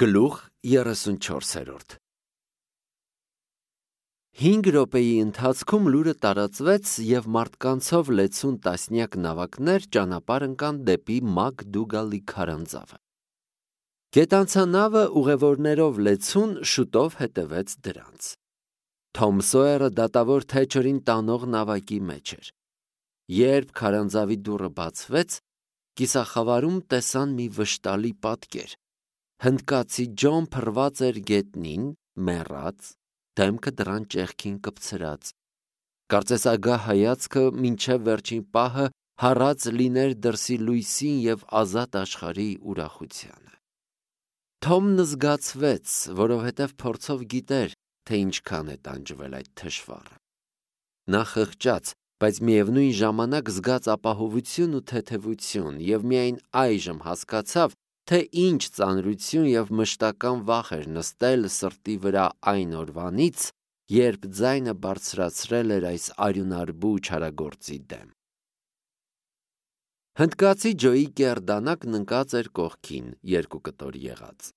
Գլուխ 34 5 րոպեի ընթացքում լուրը տարածվեց և մարդկանցով լեցուն տասնյակ նավակներ ճանապարհ ընկան դեպի Մակդուգալի քարանձավը։ Գետանցանավը ուղևորներով լեցուն շուտով հետևեց դրանց։ Թոմ Սոյերը դատավոր Թեչերին տանող նավակի մեջ էր։ Երբ քարանձավի դուռը բացվեց, կիսախավարում տեսան մի վշտալի պատկեր։ Հնդկացի Ջոն փռված էր գետնին, մեռած, դեմքը դռան ճեղքին կպցրած։ Կարծես ագահ հայացքը մինչև վերջին պահը հառած լիներ դրսի լույսին և ազատ աշխարհի ուրախությանը։ Թոմն զգացվեց, որովհետև փորձով գիտեր, թե ինչքան է տանջվել այդ թշվառը։ Նա խղճաց, բայց միևնույն ժամանակ զգաց ապահովություն ու թեթևություն և միայն այժմ հասկացավ, թե ինչ ծանրություն և մշտական վախ էր նստել սրտի վրա այն օրվանից, երբ ձայնը բարձրացրել էր այս արյունարբու չարագործի դեմ։ Հնդկացի Ջոյի կեռ դանակն ընկած էր կողքին, 2 կտոր եղած։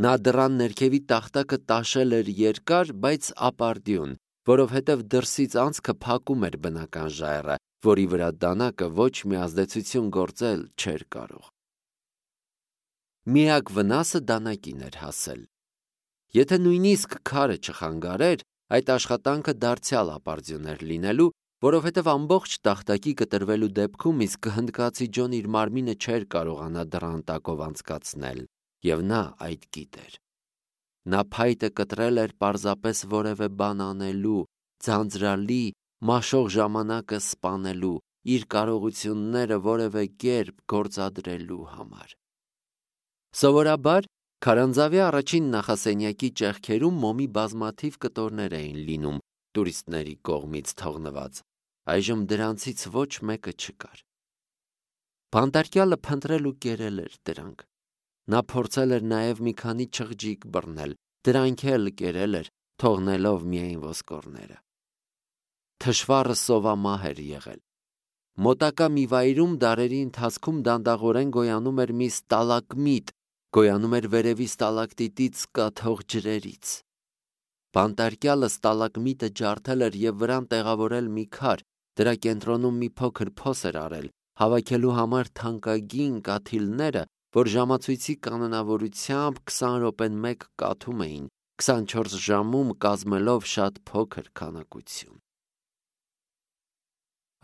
Նա դռան ներքևի տախտակը տաշել էր երկար, բայց ապարդյուն, որովհետև դրսից անցքը փակում էր բնական ժայռը, որի վրա դանակը ոչ մի ազդեցություն գործել չէր կարող։ Միակ վնասը դանակին էր հասել։ Եթե նույնիսկ քարը չխանգարեր, այդ աշխատանքը դարձյալ ապարդյուն էր լինելու, որովհետև ամբողջ տախտակի կտրվելու դեպքում իսկ հնդկացի Ջոն իր մարմինը չէր կարողանա դռան տակով անցկացնել, և նա այդ գիտեր։ Նա փայտը կտրել էր պարզապես որևէ բան անելու, ձանձրալի, մաշող ժամանակը սպանելու, իր կարողությունները որևէ կերպ գործադրելու համար։ Սովորաբար քարանձավի առաջին նախասենյակի ճեղքերում մոմի բազմաթիվ կտորներ էին լինում տուրիստների կողմից թողնված, այժմ դրանցից ոչ մեկը չկար։ Բանտարկյալը փնտրել ու կերել էր դրանք։ Նա փորձել էր նաև մի քանի չղջիկ բռնել, դրանք էլ կերել էր, թողնելով միայն ոսկորները։ Թշվառը սովամահ էր եղել։ Մոտակա մի վայրում դարերի ընթացքում դանդաղորեն գոյանում էր մի ստալագմիտ, գոյանում էր վերևի ստալակտիտից կաթող ջրերից։ Բանտարկյալը ստալագմիտը ջարդել էր և վրան տեղավորել մի քար, դրա կենտրոնում մի փոքր փոս էր արել, հավաքելու համար թանկագին կաթիլները, որ ժամացույցի կանոնավորությամբ 20 րոպեն մեկ կաթում էին, 24 ժամում կազմելով շատ փոքր քանակություն։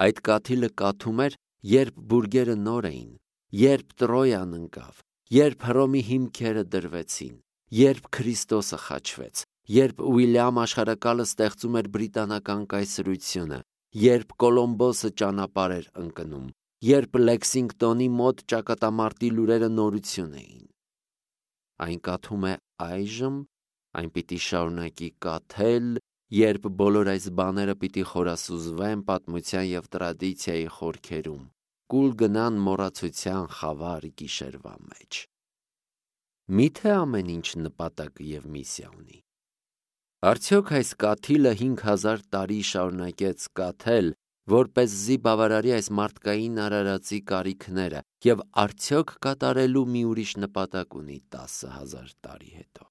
Այդ կաթիլը կաթում էր, երբ բուրգերը նոր էին, երբ Տրոյան ընկավ, երբ Հռոմի հիմքերը դրվեցին, երբ Քրիստոսը խաչվեց, երբ Ուիլյամ աշխարհակալը ստեղծում էր բրիտանական կայսրությունը, երբ Կոլոմբոսը ճանապարհ էր ընկնում, երբ Լեքսինգտոնի մոտ ճակատամարտի լուրերը նորություն էին։ Այն կաթում է այժմ, այն պիտի շարունակի կաթել, երբ բոլոր այս բաները պիտի խորասուզվեն պատմության և տրադիցիայի խորքերում, կուլ գնան մոռացության խավար գիշերվա մեջ։ Միթե ամեն ինչ նպատակ և միսիա ունի։ Արդյոք այս կաթիլը 5000 տարի շարունակեց կաթել, որպեսզի բավարարի այս մարդկային արարածի կարիքները, և արդյոք կատարելու մի ուրիշ նպատակ ունի 10,000 տարի հետո։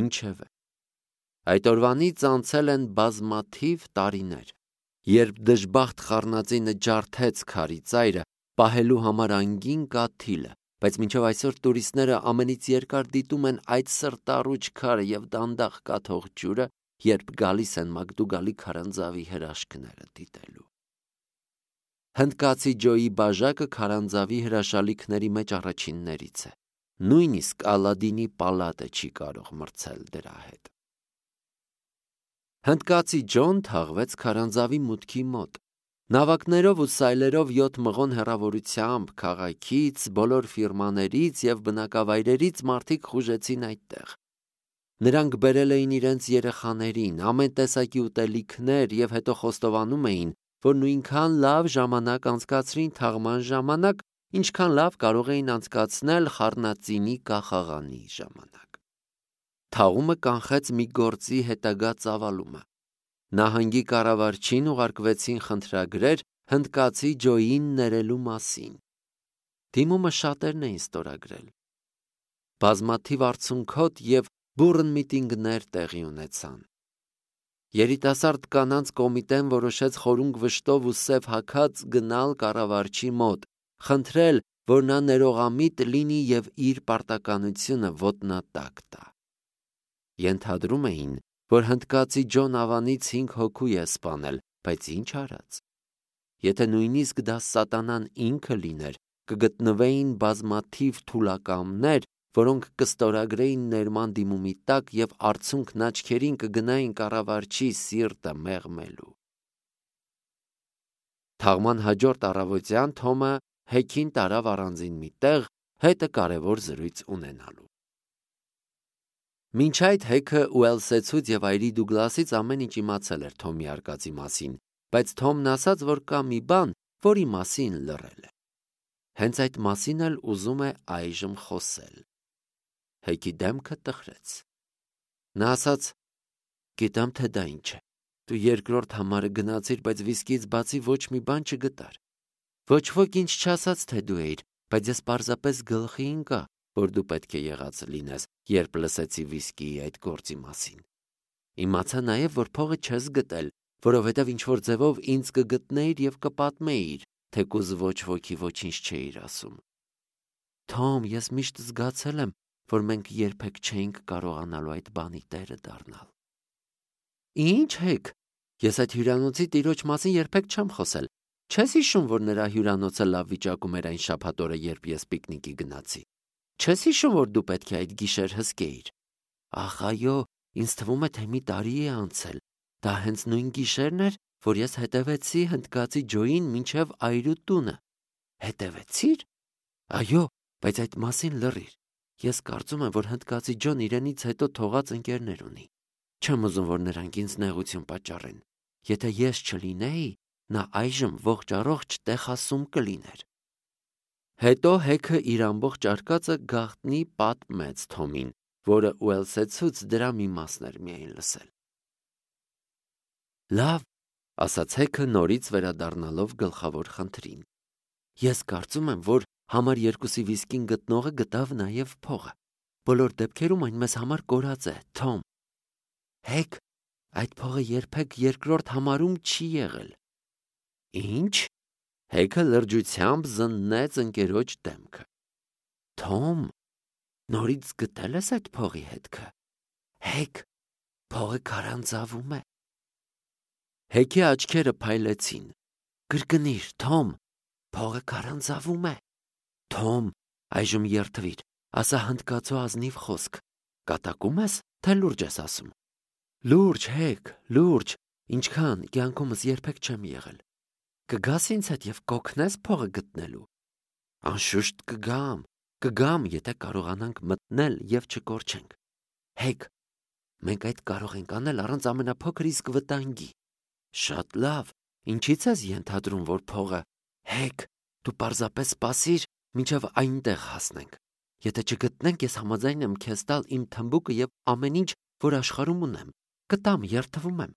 Ինչևէ, այդ օրվանից անցել են բազմաթիվ տարիներ, երբ դժբախտ խառնածինը ջարդեց քարի ծայրը, պահելու համար անգին կաթիլը, բայց մինչև այսօր տուրիստները ամենից երկար դիտում են այդ սրտառուչ քարը և դանդաղ կաթող ջուրը, երբ գալիս են Մակդուգալի քարանձավի հրաշքները դիտելու։ Հնդկացի Ջոյի բաժակը քարանձավի հրաշալիքների մեջ առաջիններից է։ Նույնիսկ Ալադինի պալատը չի կարող մրցել դրա հետ։ Հնդկացի Ջոն թաղվեց քարանձավի մուտքի մոտ։ Նավակներով ու սայլերով 7 մղոն հեռավորությամբ քաղաքից, բոլոր ֆիրմաներից և բնակավայրերից մարդիկ խուժեցին այդտեղ։ Նրանք բերել էին իրենց երեխաներին, ամեն տեսակի ուտելիքներ և հետո խոստովանում էին, որ նույնքան լավ ժամանակ անցկացրին թաղման ժամանակ, ինչքան լավ կարող էին անցկացնել խառնածինի կախաղանի ժամանակ։ Թաղումը կանխեց մի գործի հետագա ծավալումը։ Նահանգի կառավարչին ուղարկվեցին խնդրագրեր հնդկացի Ջոյին ներելու մասին։ Դիմումը շատերն էին ստորագրել։ բազմաթիվ արցունքոտ և բուռն միտինգներ տեղի ունեցան։ Երիտասարդ կանանց կոմիտեն որոշեց խորունգ վշտով ու սև հագած գնալ կառավարչի մոտ, խնդրել, որ նա ներողամիտ լինի և իր պարտականությունը ոտնատակ տա։ Ենթադրում էին, որ հնդկացի Ջոն Ավանից 5 հոգու է սպանել, բայց ինչ արած։ Եթե նույնիսկ դա սատանան ինքը լիներ, կգտնվեին բազմաթիվ թուլակամներ, որոնք կստորագրեին ներման դիմումի տակ և արցունքն աչքերին կգնային կառավարչի սիրտը մեղմելու։ Թաղման հաջորդ առավոտյան Թոմը Հեքին տարավ առանձին մի տեղ, հետը կարևոր զրույց ունենալու։ Մինչ այդ Հեքը Ուելսեցուց և այրի Դուգլասից ամեն ինչ իմացել էր Թոմի արկածի մասին, բայց Թոմն ասաց, որ կա մի բան, որի մասին լռել է։ Հենց այդ մասին էլ ուզում է այժմ խոսել։ Հեքի դեմքը տխրեց։ Նա ասաց. «Գիտեմ, թե դա ինչ է։ Դու երկրորդ համարը գնացիր, բայց վիսկիից բացի ոչ մի բան չգտար։ Ոչ ոք ինձ չասաց, թե դու էիր, բայց ես պարզապես գլխի ընկա, որ դու պետք է եղած լինես, երբ լսեցի վիսկիի այդ գործի մասին։ Իմացա նաև, որ փողը չես գտել, որովհետև ինչ-որ ձևով ինձ կգտնեիր և կպատմեիր, թեկուզ ոչ ոքի ոչինչ չէիր ասում։ Թոմ, ես միշտ զգացել եմ, որ մենք երբեք չէինք կարողանալու այդ բանի տերը դառնալ»։ Ինչ Հեք, ես այդ հյուրանոցի տիրոջ մասին երբեք չեմ խոսել։ Չես հիշում, որ նրա հյուրանոցը լավ վիճակում էր այն շաբաթօրը, երբ ես պիկնիկի գնացի։ Չես հիշում, որ դու պետք է այդ գիշեր հսկեիր։ Ախ, այո, ինձ թվում է, թե մի տարի է անցել։ Դա հենց նույն գիշերն էր, որ ես հետևեցի հնդկացի Ջոյին մինչև այրու տունը։ Հետևեցի՞ր։ Այո, բայց այդ մասին լռիր։ Ես կարծում եմ, որ հնդկացի Ջոն իրենից հետո թողած ընկերներ ունի։ Չեմ ուզում, որ նրանք ինձ նեղություն պատճառեն։ Եթե ես չլինեի, նա այժմ ողջ առողջ տեխասում կլիներ։ Հետո Հեքը իր ամբողջ արկածը գաղտնի պատմեց Թոմին, որը Ուելսեցուց դրա մի մասն էր միայն լսել։ Լավ, ասաց Հեքը նորից վերադառնալով գլխավոր խնդրին։ Ես կարծում եմ, որ համար 2-ի վիսկին գտնողը գտավ նաև փողը։ Բոլոր դեպքերում այն մեզ համար կորած է, Թոմ։ Հեք, այդ փողը երբեք երկրորդ համարում չի եղել։ Ինչ։ Հեքը լրջությամբ զննեց ընկերոջ դեմքը։ Թոմ, նորից գտել ես այդ փողի հետքը։ Հեք, փողը քարանձավում է։ Հեքի աչքերը փայլեցին։ Կրկնիր, Թոմ, փողը քարանձավում է։ Թոմ, այժմ երդվիր, ասա հնդկացու ազնիվ խոսք։ Կատակում ես, թե լուրջ ես ասում։ Լուրջ, Հեք, լուրջ, ինչքան կյանքումս երբեք չեմ եղել։ Կգաս ինձ հետ և կօգնես փողը գտնելու։ Անշուշտ կգամ, եթե կարողանանք մտնել և չկորչենք։ Հեք, մենք այդ կարող ենք անել առանց ամենափոքր իսկ վտանգի։ Շատ լավ, ինչի՞ց ես ենթադրում, որ փողը։ Հեք, դու պարզապես սպասիր, մինչև այնտեղ հասնենք։ Եթե չգտնենք, ես համաձայն եմ քեզ տալ իմ թմբուկը և ամեն ինչ, որ աշխարհում ունեմ։ Կտամ, երդվում եմ։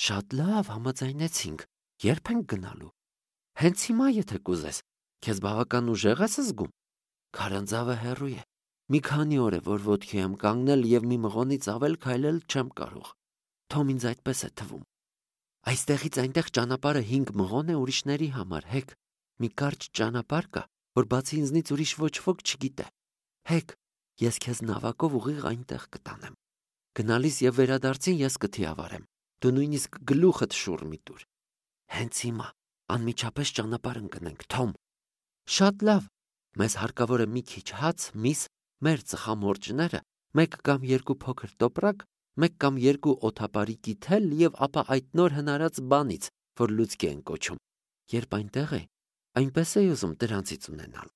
Շատ լավ, համաձայնեցինք։ Ե՞րբ ենք գնալու։ Հենց հիմա, եթե կուզես։ Քեզ բավական ուժեղ ես զգում։ Քարանձավը հեռու է։ Մի քանի օր է, որ ոտքի եմ կանգնել և մի մղոնից ավել քայլել չեմ կարող։ Թոմ, ինձ այդպես է թվում։ Այստեղից այնտեղ ճանապարհը 5 մղոն է ուրիշների համար, Հեք։ Մի կարճ ճանապարհ կա, որ բացի ինձնից ուրիշ ոչ ոք չգիտե։ Հեք, ես քեզ նավակով ուղիղ այնտեղ կտանեմ։ Գնալիս և վերադարձին ես կթիավարեմ։ Դու նույնիսկ գլուխդ շուռ մի տուր։ Հենց հիմա անմիջապես ճանապարհ ընկնենք, Թոմ։ Շատ լավ։ Մեզ հարկավոր է մի քիչ հաց, միս, մեր ծխամորճները, 1 կամ 2 փոքր տոպրակ, 1 կամ 2 օդապարի թել և ապա այդ նոր հնարած բանից, որ լուցկի են կոչում։ Երբ այնտեղ է, այնպես էի ուզում դրանցից ունենալ։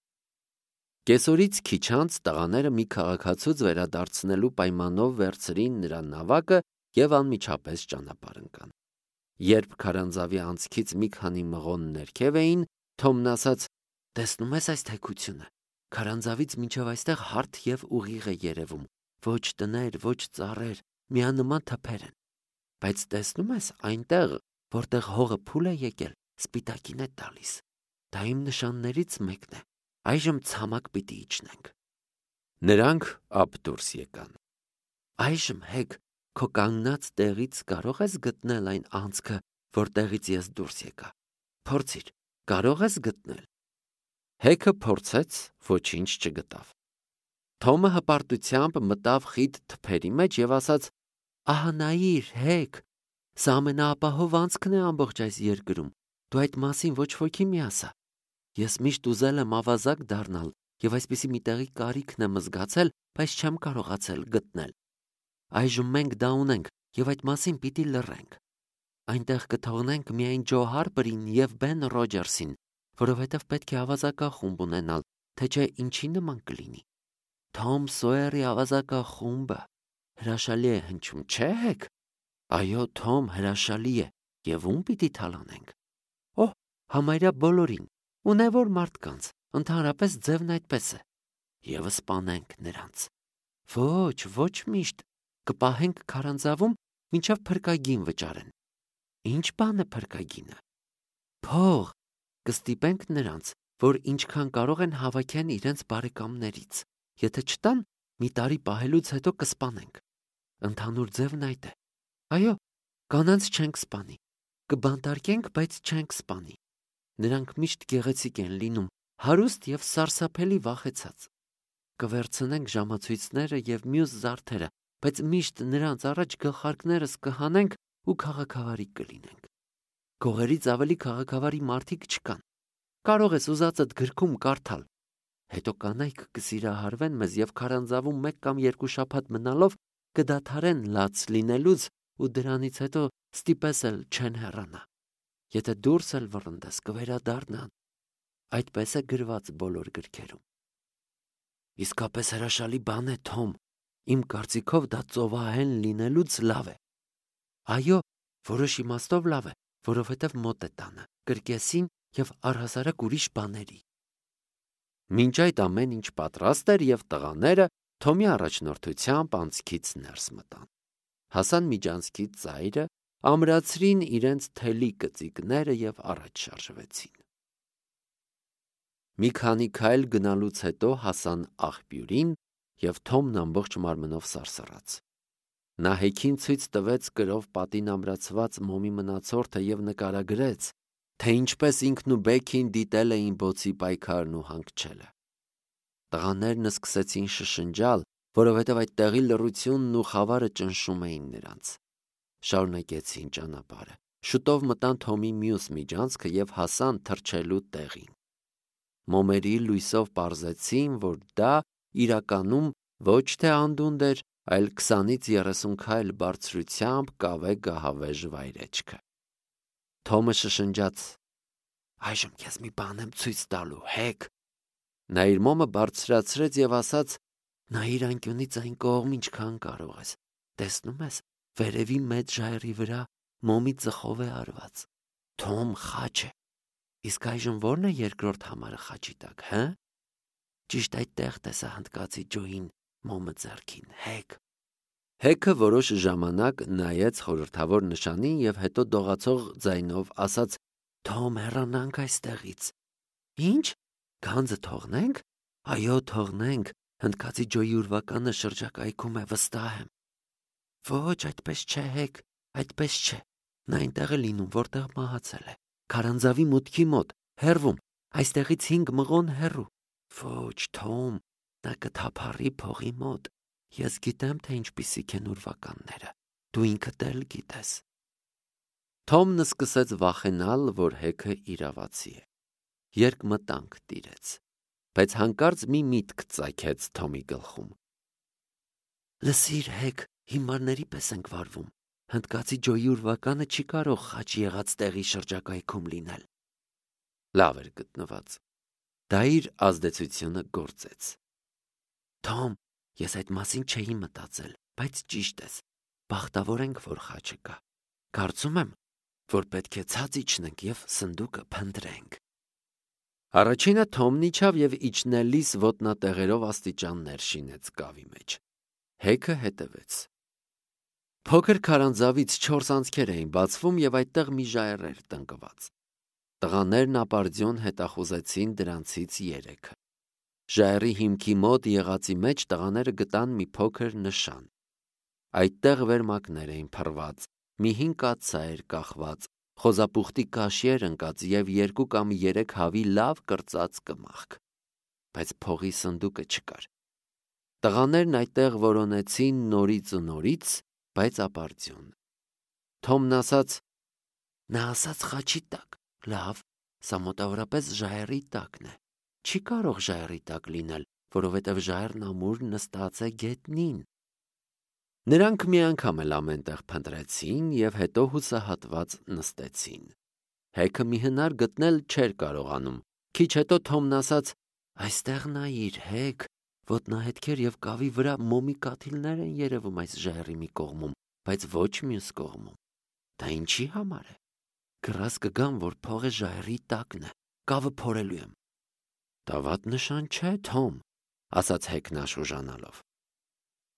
Կեսօրից քիչ անց տղաները մի քաղաքացուց վերադարձնելու պայմանով վերցրին նրա նավակը և անմիջապես ճանապարհ ընկան։ Երբ քարանձավի անցքից մի քանի մղոն ներքև էին, Թոմն ասաց. տեսնում ես այս թեքությունը։ Քարանձավից մինչև այստեղ հարթ և ուղիղ է երևում։ Ոչ տներ, ոչ ծառեր, միանման թփեր են։ Բայց տեսնում ես այնտեղ, որտեղ հողը փուլ է եկել, սպիտակին է տալիս։ Դա իմ նշաններից մեկն է։ Այժմ ցամաք պիտի իջնենք։ Նրանք ապ դուրս եկան։ Այժմ Հեկ, քո կանգնած տեղից կարող ես գտնել այն անցքը, որտեղից ես դուրս եկա։ Փորձիր, կարող ես գտնել։ Հեքը փորձեց, ոչինչ չգտավ։ Թոմը հպարտությամբ մտավ խիտ թփերի մեջ եւ ասաց. «Ահա նայիր, Հեկ, սա ամենաապահով անցքն է ամբողջ այս երկրում։ Դու այդ մասին ոչ ոքի մի ասա։ Ես միշտ ուզել եմ ավազակ դառնալ եւ այսպիսի մի տեղի կարիքն եմ զգացել, բայց չեմ կարողացել գտնել։ Այժմ մենք դա ունենք եւ այդ մասին պիտի լռենք։ Այնտեղ կթողնենք միայն Ջո Հարպերին եւ Բեն Ռոջերսին, որովհետեւ պետք է ավազակախումբ ունենալ, թե չէ ինչի նման կլինի։ Թոմ Սոյերի ավազակախումբը հրաշալի է հնչում, չէ՞ Հեկ։ Այո, Թոմ, հրաշալի է, եւ ում պիտի թալանենք։ Օհ, համարյա բոլորին, ունևոր մարդկանց, ընդհանրապես ձևն այդպես է։ Եվ սպանենք նրանց։ Ոչ միշտ, կպահենք քարանձավում, մինչև փրկագին վճարեն։ Ինչ բան է փրկագինը։ Փող, կստիպենք նրանց, որ ինչքան կարող են հավաքեն իրենց բարեկամներից։ Եթե չտան, մի տարի պահելուց հետո կսպանենք։ Ընդհանուր ձևն այդ է։ Այո, կանանց չենք սպանի։ Կբանտարկենք, բայց չենք սպանի։ Նրանք միշտ գեղեցիկ են լինում, հարուստ եւ սարսափելի վախեցած։ Կվերցնենք ժամացույցները եւ մյուս զարդերը, բայց միշտ նրանց առաջ գլխարկներս կհանենք ու քաղաքավարի կլինենք։ Գողերից ավելի քաղաքավարի մարդիկ չկան։ Կարող ես ուզածդ գրքում կարդալ։ Հետո կանայք կսիրահարվեն մեզ եւ քարանձավում 1 կամ 2 շաբաթ մնալով կդադարեն լաց լինելուց ու դրանից հետո ստիպես էլ չեն հեռանա։ Եթե դուրս էլ վռնդես, կվերադառնան։ Այդպես է գրված բոլոր գրքերում։ Իսկապես հրաշալի բան է, Թոմ։ Իմ կարծիքով դա ծովահեն լինելուց լավ է։ Այո, որոշ իմաստով լավ է, որովհետև մոտ է տանը, կրկեսին եւ առհասարակ ուրիշ բաների։ Մինչ այդ ամեն ինչ պատրաստ էր եւ տղաները Թոմի առաջնորդությամբ անցքից ներս մտան։ Հասան միջանցքի ծայրը, ամրացրին իրենց թելի կծիկները եւ առաջ շարժվեցին։ Մի քանի քայլ գնալուց հետո հասան աղբյուրին եւ Թոմն ամբողջ մարմնով սարսռաց։ Նա Հեքին ցույց տվեց կրով պատին ամրացված մոմի մնացորդը եւ նկարագրեց, թե ինչպես ինքն ու Բեքին դիտել էին բոցի պայքարն ու հանգչելը։ Տղաներն սկսեցին շշնջալ, որովհետև այդ տեղի լռությունն ու խավարը ճնշում էին նրանց։ Շարունակեցին ճանապարհը։ Շուտով մտան Թոմի մյուս միջանցքը եւ հասան թռչելու տեղին։ Մոմերի լույսով պարզեցին, որ դա իրականում ոչ թե անդունդ էր, այլ 20-ից 30 քայլ բարձրությամբ կավե գահավեժ վայրեջքը։ Թոմը շշնջաց. «Այժմ քեզ մի բան եմ ցույց տալու, Հեկ»։ Նա իր մոմը բարձրացրեց եւ ասաց. «Նայիր անկյունից այն կողմ ինչքան կարող ես։ Տեսնում ես, վերևի մեծ ժայռի վրա մոմի ծխով է արված։ Թոմ, խաչ է։ Իսկ այժմ ո՞րն է երկրորդ համարը խաչի տակ, հը»։ Ճիշտ այդտեղ տեսա հնդկացի Ջոին մոմը ձեռքին, Հեկ։ Հեքը որոշ ժամանակ նայեց խորհրդավոր նշանին եւ հետո դողացող ձայնով ասաց. «Թոմ, հեռանանք այստեղից»։ Ինչ։ Գանձը թողնենք։ Այո, թողնենք։ Հնդկացի Ջոյի ուրվականը շրջակայքում է, վստահ եմ։ Ոչ, այդպես չէ, Հեկ, այդպես չէ։ Նա այնտեղ է լինում, որտեղ մահացել է։ Քարանձավի մուտքի մոտ, հեռվում, այստեղից 5 մղոն հեռու։ Ոչ, Թոմ, նա կթափառի փողի մոտ։ Ես գիտեմ, թե ինչպիսիք են ուրվականները։ Դու ինքդ էլ գիտես։ Թոմն սկսեց վախենալ, որ Հեքը իրավացի է։ Երկմտանք տիրեց, բայց հանկարծ մի միտք ծագեց Թոմի գլխում։ Լսիր, Հեկ, հիմարների պես ենք վարվում։ Հնդկացի Ջոյի ուրվականը չի կարող խաչ եղած տեղի շրջակայքում լինել։ Լավ էր գտնված։ Դա իր ազդեցությունը գործեց։ Թոմ, ես այդ մասին չէի մտածել, բայց ճիշտ ես։ Բախտավոր ենք, որ խաչը կա։ Կարծում եմ, որ պետք է ցած իջնենք եւ սնդուկը փնտրենք։ Առաջինը Թոմն իջավ եւ իջնելիս ոտնատեղերով աստիճաններ շինեց կավի մեջ։ Հեքը հետևեց։ Փոքր քարանձավից 4 անցքեր էին բացվում եւ այդտեղ մի ժայռ էր տնկված։ Տղաներն ապարդյուն հետախուզեցին դրանցից 3-ը։ ժայռի հիմքի մոտ եղածի մեջ տղաները գտան մի փոքր նշան։ Այդտեղ վերմակներ էին փռված, մի 5 կաթսա էր կախված, խոզապուխտի կաշի էր ընկած և 2 կամ 3 հավի լավ կրծած կմախք, բայց փողի սնդուկը չկար։ Տղաներն այդտեղ որոնեցին նորից ու նորից, բայց ապարդյուն։ Թոմն ասաց. «Նա ասաց խաչի տակ, լավ, սա մոտավորապես ժայռի տակն է, չի կարող ժայռի տակ լինել, որովհետև ժայռն ամուր նստած է գետնին»։ Նրանք մի անգամ էլ ամենտեղ փնտրեցին և հետո հուսահատված նստեցին։ Հեքը մի հնար գտնել չէր կարողանում։ Քիչ հետո Թոմն ասաց. «Այստեղ նայիր, Հեք, ոտնահետքեր և կավի վրա մոմի կաթիլներ են երևում այս ժայռի մի կողմում, բայց ոչ մյուս կողմում։ Դա ինչի համար է։ Կռաս կգամ, որ փողը ժայռի տակն է, կավը փորելու եմ»։ «Դա վատ նշան չէ, Թոմ», ասաց Հեքն աշխուժանալով։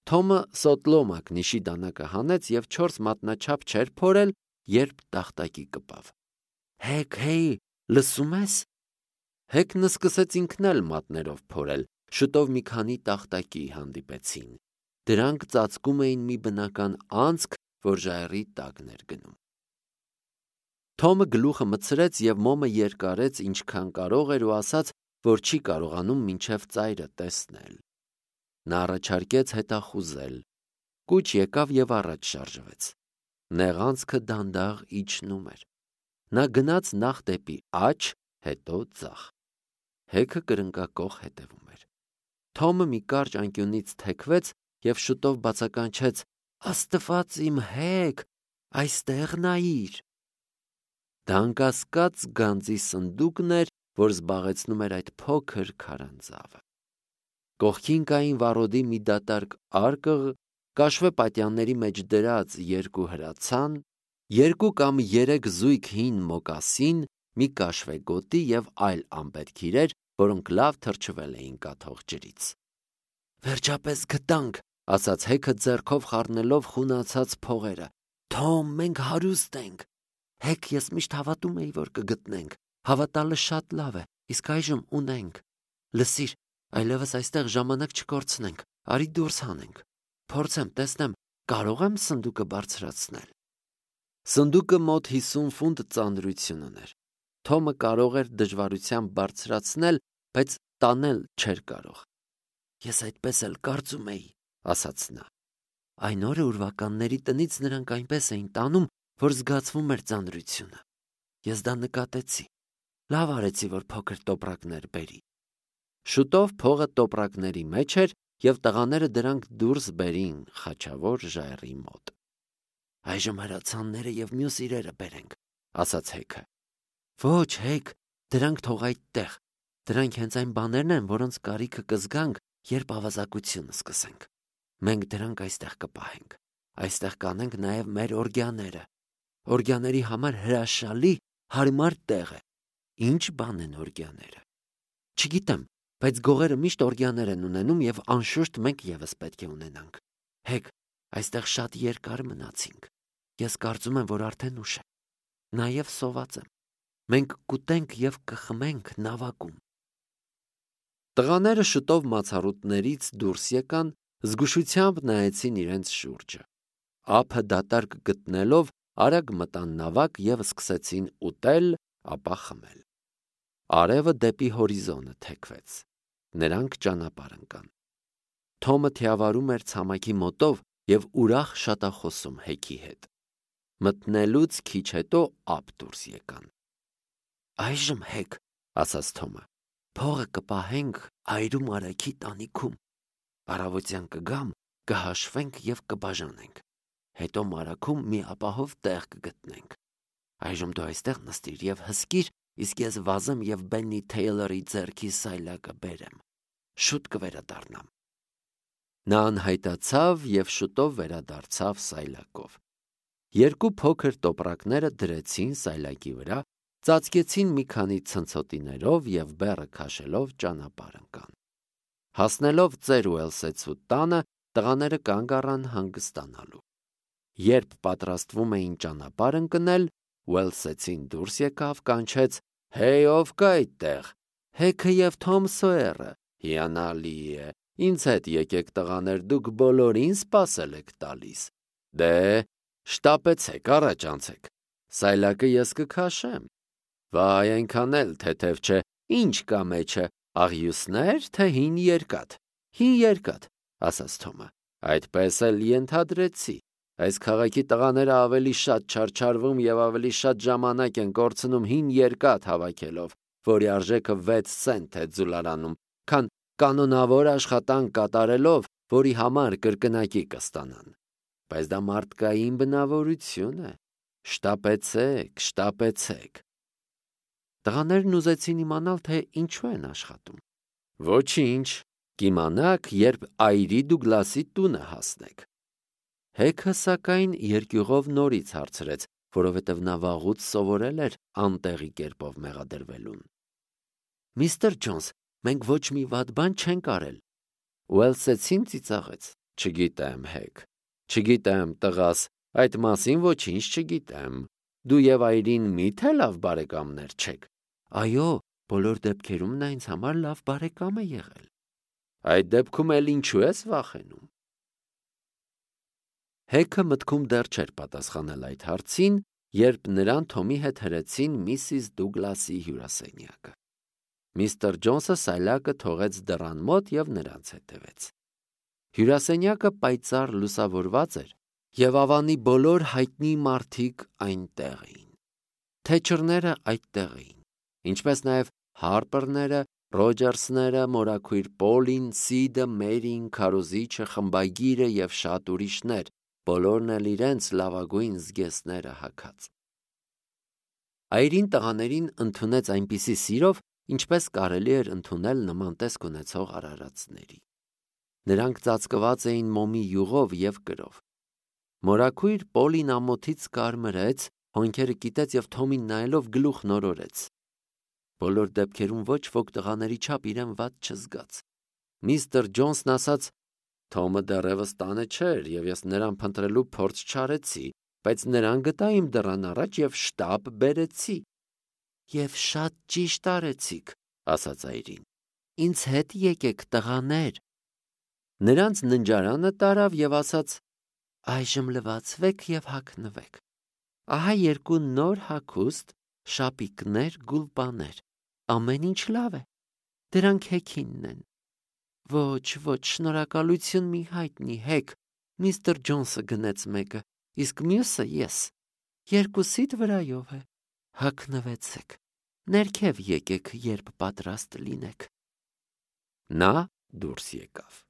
Թոմը սոտլոմակ նիշի դանակը հանեց և 4 մատնաչափ չէր փորել, երբ տախտակի կպավ։ «Հեք, հեյ, լսում ես»։ Հեքն սկսեց ինքն էլ մատներով փորել, շուտով մի քանի տախտակի հանդիպեցին։ Դրանք ծածկում էին մի բնական անցք, որ ժայռի տակն էր գնում։ Թոմը գլուխը մտցրեց և մոմը երկարեց ինչքան կարող էր ու ասաց, որ չի կարողանում մինչև ծայրը տեսնել։ Նա առաջարկեց հետախուզել։ Կուչ եկավ և առաջ շարժվեց։ Նեղանցքը դանդաղ իջնում էր։ Նա գնաց նախ դեպի աջ, հետո ձախ։ Հեքը կրնկակոխ հետևում էր։ Թոմը մի կարճ անկյունից թեքվեց և շուտով բացականչեց. «Աստված իմ Հեք, այստեղ նայիր»։ Դա անկասկած գանձի սնդուկն էր, որ զբաղեցնում էր այդ փոքր քարանձավը։ Կողքին կային վառոդի մի դատարկ արկղ, կաշվե պատյանների մեջ դրած 2 հրացան, 2 կամ 3 զույգ հին մոկասին, մի կաշվե գոտի և այլ անպետք իրեր, որոնք լավ թրջվել էին կաթող ջրից։ «Վերջապես գտանք», ասաց Հեքը ձեռքով խառնելով խունացած փողերը։ «Թոմ, մենք հարուստ ենք։ Հեք, ես միշտ հավատում էի, որ կգտնենք։ Հավատալը շատ լավ է, իսկ այժմ ունենք։ Լսիր, այլևս այստեղ ժամանակ չկորցնենք, արի դուրս հանենք։ Փորձեմ, տեսնեմ, կարող եմ սնդուկը բարձրացնել»։ Սնդուկը մոտ 50 ֆունտ ծանրություն ուներ։ Թոմը կարող էր դժվարությամբ բարձրացնել, բայց տանել չէր կարող։ «Ես այդպես էլ կարծում էի», ասաց նա։ «Այն օրը ուրվականների տնից նրանք այնպես էին տանում, որ զգացվում էր ծանրությունը։ Ես դա նկատեցի։ Լավ արեցի, որ փոքր տոպրակներ բերի»։ Շուտով փողը տոպրակների մեջ էր, և տղաները դրանք դուրս բերին խաչավոր ժայռի մոտ։ «Այժմ հրացանները և մյուս իրերը բերենք», ասաց Հեքը։ «Ոչ, Հեք, դրանք թող այդտեղ։ Դրանք հենց այն բաներն են, որոնց կարիքը կզգանք, երբ ավազակությունը սկսենք։ Մենք դրանք այստեղ կպահենք։ Այստեղ կանենք նաև մեր օրգյաները։ Օրգյաների համար հրաշալի, հարմար տեղ է։ Ինչ բան են օրգյաները։ Չգիտեմ, բայց գողերը միշտ օրգյաներ են ունենում և անշուշտ մենք ևս պետք է ունենանք։ Հեք, այստեղ շատ երկար մնացինք։ Ես կարծում եմ, որ արդեն ուշ է։ Նաև սոված եմ։ Մենք կուտենք և կխմենք նավակում»։ Տղաները շուտով մացառուտներից դուրս եկան, զգուշությամբ նայեցին իրենց շուրջը։ Ափը դատարկ գտնելով արագ մտան նավակ և սկսեցին ուտել, ապա խմել։ Արևը դեպի հորիզոնը թեքվեց։ Նրանք ճանապարհ ընկան։ Թոմը թիավարում էր ցամաքի մոտով և ուրախ շատախոսում Հեքի հետ։ Մտնելուց քիչ հետո ափ դուրս եկան։ «Այժմ, Հեք, ասաց Թոմը, փողը կպահենք այրում արագի տանիքում։ Առավոտյան կգամ, կհաշվենք և կբաժանենք։ Հետո մարագում մի ապահով տեղ կգտնենք։ Այժմ դու այստեղ նստիր և հսկիր, իսկ ես վազեմ և Բեննի Թեյլորի ձեռքի սայլակը բերեմ։ Շուտ կվերադառնամ»։ Նա անհայտացավ և շուտով վերադարձավ սայլակով։ 2 փոքր տոպրակները դրեցին սայլակի վրա, ծածկեցին մի քանի ցնցոտիներով և բեռը քաշելով ճանապարհ ընկան։ Հասնելով ծեր Ուելսեցու տանը, տղաները կանգ առան հանգստանալու։ Երբ պատրաստվում էին ճանապարհ ընկնել, Ուելսեցին դուրս եկավ, կանչեց. «Հեյ, ով կա այդտեղ»։ «Հեքը և Թոմ Սոյերը, Հիանալի է, ինձ հետ եկեք տղաներ, դուք բոլորին սպասել եք տալիս, դե, շտապեցեք, առաջ անցեք, սայլակը ես կքաշեմ, վայ, այնքան էլ թեթև չէ, ինչ կա մեջը, աղյուսներ, թե հին երկաթ, ասաց Թոմը, այդպես էլ ենթադրեցի, այս քաղաքի տղաները ավելի շատ չարչարվում և ավելի շատ ժամանակ են կորցնում հին երկաթ հավաքելով, որի արժեքը 6 սենտ է ձուլարանում, քան կանոնավոր աշխատանք կատարելով, որի համար կրկնակի կստանան, բայց դա մարդկային բնավորություն է, շտապեցեք, Տղաներն ուզեցին իմանալ, թե ինչու են աշխատում, ոչինչ, կիմանաք, երբ այրի Դուգլասի տունը հասնեք, Հեքը սակայն երկյուղով նորից հարցրեց, որովհետև նա վաղուց սովորել էր անտեղի կերպով մեղադրվելուն. Միստր Ջոնս, մենք ոչ մի վատ բան չենք արել, Ուելսեցին ծիծաղեց, չգիտեմ, Հեք, չգիտեմ, տղաս, այդ մասին ոչինչ չգիտեմ, դու և այրին միթե լավ բարեկամներ չեք, այո, բոլոր դեպքերում նա ինձ համար լավ բարեկամ է եղել, այդ դեպքում էլ ինչու ես վախենում, Հեքը մտքում դեռ չէր պատասխանել այդ հարցին, երբ նրան Թոմի հետ հրեցին Միսիս Դուգլասի հյուրասենյակը։ Միստր Ջոնսը սայլակը թողեց դռան մոտ և նրանց հետևեց։ Հյուրասենյակը պայծառ լուսավորված էր, և ավանի բոլոր հայտնի մարդիկ այնտեղ էին։ Թեչերները այդտեղ էին, ինչպես նաև Հարպերները, Ռոջերսները, մորաքույր Պոլին, Սիդը, Մերին, քարոզիչը, խմբագիրը և շատ ուրիշներ, բոլորն էլ իրենց լավագույն զգեստները հագած։ Այրին տղաներին ընդունեց այնպիսի սիրով, ինչպես կարելի էր ընդունել նման տեսք ունեցող արարածների։ Նրանք ծածկված էին մոմի յուղով և կրով։ Մորաքույր Պոլին ամոթից կարմրեց, հոնքերը կիտեց և Թոմին նայելով գլուխ նորորեց։ Բոլոր դեպքերում ոչ ոք տղաների չափ իրեն վատ չզգաց։ Միստր Ջոնսն ասաց. Թոմը դեռևս տանը չէր, և ես նրան փնտրելու փորձ չարեցի, բայց նրան գտա իմ դռան առաջ և շտապ բերեցի։ Եվ շատ ճիշտ արեցիք, ասաց այրին։ Ինձ հետ եկեք, տղաներ։ Նրանց ննջարանը տարավ և ասաց. Այժմ լվացվեք և հագնվեք։ Ահա երկու նոր հագուստ, շապիկներ, գուլպաներ, ամեն ինչ լավ է, դրանք Հեքինն են։ Ոչ, շնորհակալություն մի հայտնի, Հեք, միստր Ջոնսը գնեց մեկը, իսկ մյուսը ես, երկուսիդ վրայով է, հագնվեցեք, ներքև եկեք, երբ պատրաստ լինեք։ Նա դուրս եկավ։